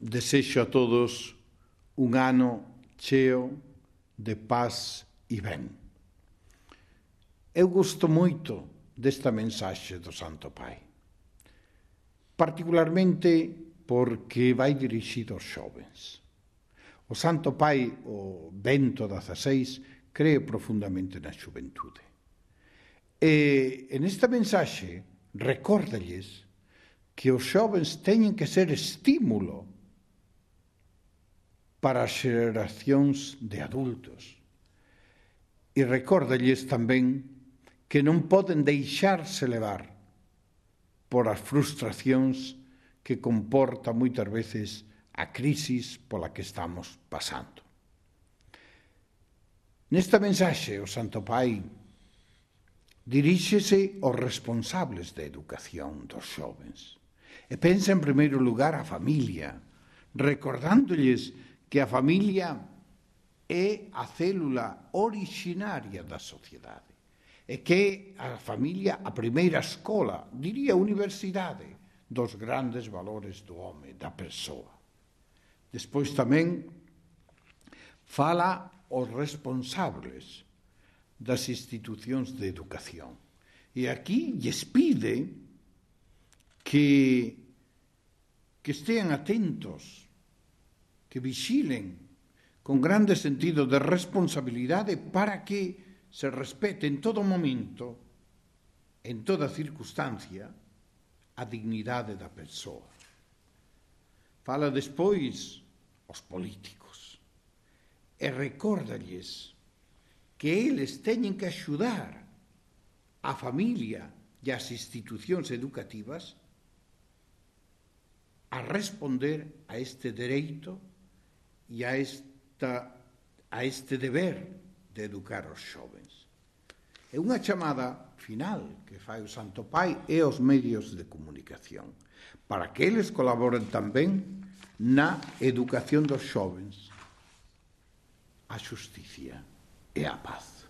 desexo a todos un ano cheo de paz e ben. Eu gosto moito desta mensaxe do Santo Pai, particularmente porque vai dirixido aos xovens. O Santo Pai, o Bento XVI, cree profundamente na xuventude. E nesta mensaxe recórdalles que os xovens teñen que ser estímulo para as xeracións de adultos. E recórdalles tamén que non poden deixarse levar por as frustracións que comporta moitas veces a crisis pola que estamos pasando. Nesta mensaxe, o Santo Pai diríxese aos responsables da educación dos xovens e pensa en primeiro lugar a familia, recordándoles que a familia é a célula originaria da sociedade e que a familia a primeira escola, diría universidade, dos grandes valores do home, da persoa. Despois tamén fala aos responsables das institucións de educación. E aquí lles pide que estean atentos, que vixilen con grande sentido de responsabilidade para que se respete en todo momento, en toda circunstancia, a dignidade da persoa. Fala despois aos políticos e recórdalles que eles teñen que axudar a familia e as institucións educativas a responder a este dereito e a este deber de educar os xovens. É unha chamada final que fai o Santo Pai e aos medios de comunicación para que eles colaboren tamén na educación dos xovens, a xusticia e a paz.